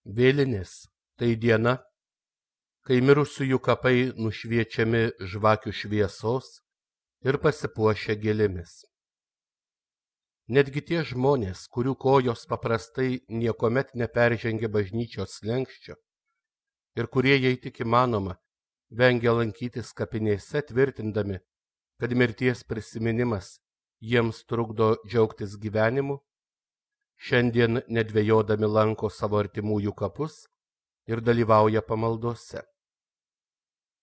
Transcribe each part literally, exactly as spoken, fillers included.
Vėlinės – tai diena, kai mirusiųjų kapai nušviečiami žvakių šviesos ir pasipuošia gėlėmis. Netgi tie žmonės, kurių kojos paprastai niekuomet neperžengia bažnyčios slenksčio ir kurie, jei tik įmanoma, vengia lankytis kapinėse, tvirtindami, kad mirties prisiminimas jiems trukdo džiaugtis gyvenimu, šiandien nedvejodami lanko savo artimųjų kapus ir dalyvauja pamaldose.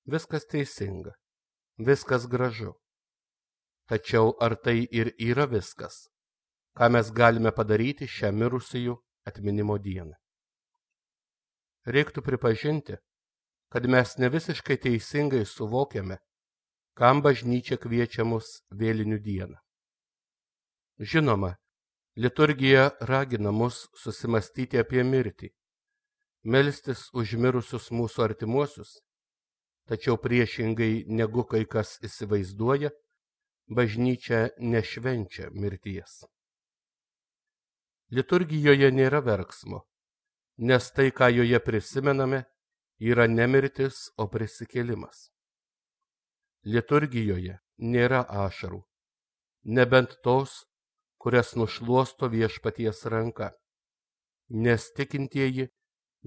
Viskas teisinga, viskas gražu. Tačiau ar tai ir yra viskas, ką mes galime padaryti šią mirusiųjų atminimo dieną? Reiktų pripažinti, kad mes ne visiškai teisingai suvokiame, kam bažnyčia kviečia mus vėlinių dieną. Žinoma, liturgija ragina mus susimastyti apie mirtį, melstis už mirusius mūsų artimuosius, tačiau priešingai negu kai kas įsivaizduoja, bažnyčia nešvenčia mirties. Liturgijoje nėra verksmo, nes tai, ką joje prisimename, yra ne mirtis, o prisikėlimas. Liturgijoje nėra ašarų, nebent tos, kurias nušluosto viešpaties ranka, nes tikintieji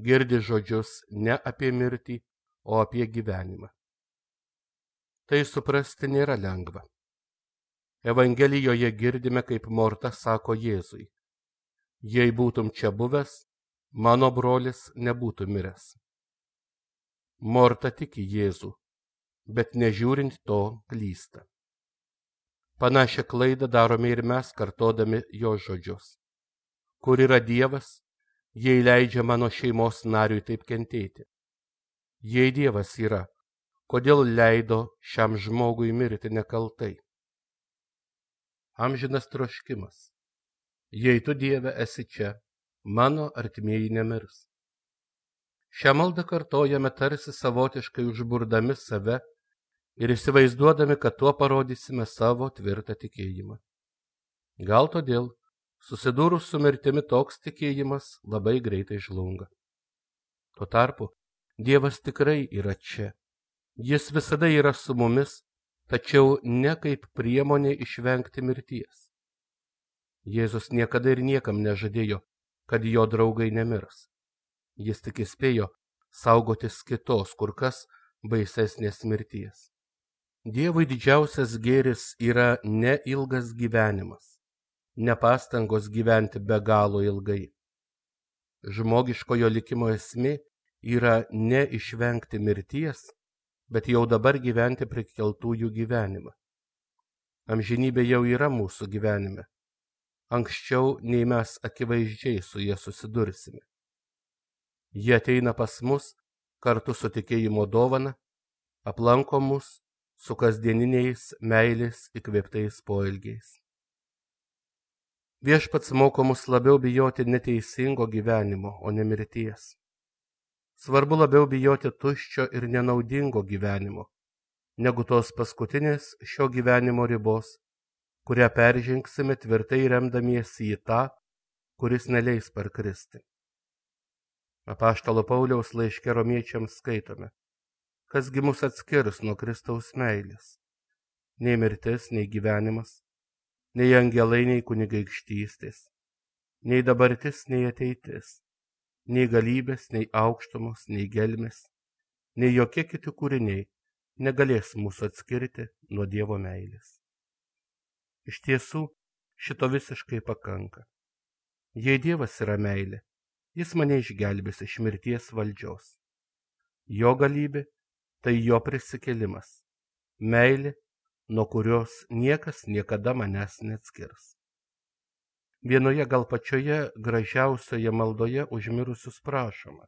girdi žodžius ne apie mirtį, o apie gyvenimą. Tai suprasti nėra lengva. Evangelijoje girdime, kaip Morta sako Jėzui: jei būtum čia buvęs, mano brolis nebūtų miręs. Morta tiki Jėzų, bet nežiūrint to klysta. Panašią klaidą darome ir mes, kartodami jo žodžius. Kur yra Dievas, jei leidžia mano šeimos nariui taip kentėti? Jei Dievas yra, kodėl leido šiam žmogui mirti nekaltai? Amžinas troškimas. Jei tu, Dieve, esi čia, mano artimieji nemirs. Šią maldą kartojame tarsi savotiškai užburdami save ir įsivaizduodami, kad tuo parodysime savo tvirtą tikėjimą. Gal todėl, susidūrus su mirtimi, toks tikėjimas labai greitai žlunga. Tuo tarpu, Dievas tikrai yra čia. Jis visada yra su mumis, tačiau ne kaip priemonė išvengti mirties. Jėzus niekada ir niekam nežadėjo, kad jo draugai nemirs. Jis tik įspėjo saugotis kitos, kur kas baisesnės mirties. Dievui didžiausias gėris yra ne ilgas gyvenimas, ne pastangos gyventi be galo ilgai. Žmogiškojo likimo esmė yra ne išvengti mirties, bet jau dabar gyventi prikeltųjų gyvenimą. Amžinybė jau yra mūsų gyvenime, anksčiau nei mes akivaizdžiai su jie susidursime. Jie ateina pas mus kartu su tikėjimo dovana, aplanko mus su kasdieniniais meilės įkvėptais poelgiais. Viešpats moko mus labiau bijoti neteisingo gyvenimo, o ne mirties. Svarbu labiau bijoti tuščio ir nenaudingo gyvenimo, negu tos paskutinės šio gyvenimo ribos, kurią peržengsime tvirtai remdamiesi į tą, kuris neleis parkristi. Apaštalo Pauliaus laiške Romiečiams skaitome: kasgi mus atskirs nuo Kristaus meilės? Nei mirtis, nei gyvenimas, nei angelai, nei kunigaikštystės, nei dabartis, nei ateitis, nei galybės, nei aukštumos, nei gelmės, nei jokie kiti kūriniai negalės mūsų atskirti nuo Dievo meilės. Iš tiesų, šito visiškai pakanka. Jei Dievas yra meilė, jis mane išgelbės iš mirties valdžios. Jo galybė – tai jo prisikėlimas, meilė, nuo kurios niekas niekada manęs neatskirs. Vienoje gal pačioje gražiausioje maldoje už mirusius prašoma: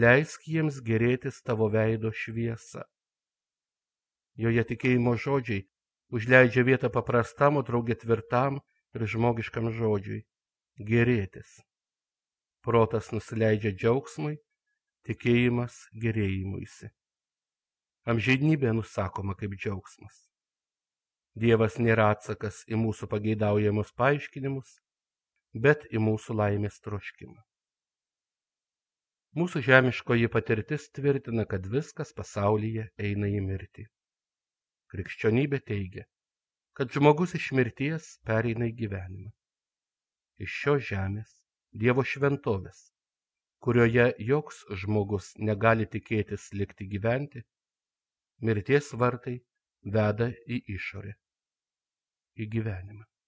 leisk jiems gėrėtis tavo veido šviesa. Joje tikėjimo žodžiai užleidžia vietą paprastam, o drauge tvirtam ir žmogiškam žodžiui – gėrėtis. Protas nusileidžia džiaugsmui, tikėjimas gėrėjimuisi. Amžinybė nusakoma kaip džiaugsmas. Dievas nėra atsakas į mūsų pageidaujamus paaiškinimus, bet į mūsų laimės troškimą. Mūsų žemiškoji patirtis tvirtina, kad viskas pasaulyje eina į mirtį. Krikščionybė teigia, kad žmogus iš mirties pereina į gyvenimą. Iš šios žemės, Dievo šventovės, kurioje joks žmogus negali tikėtis likti gyventi, mirties vartai veda į išorę, į gyvenimą.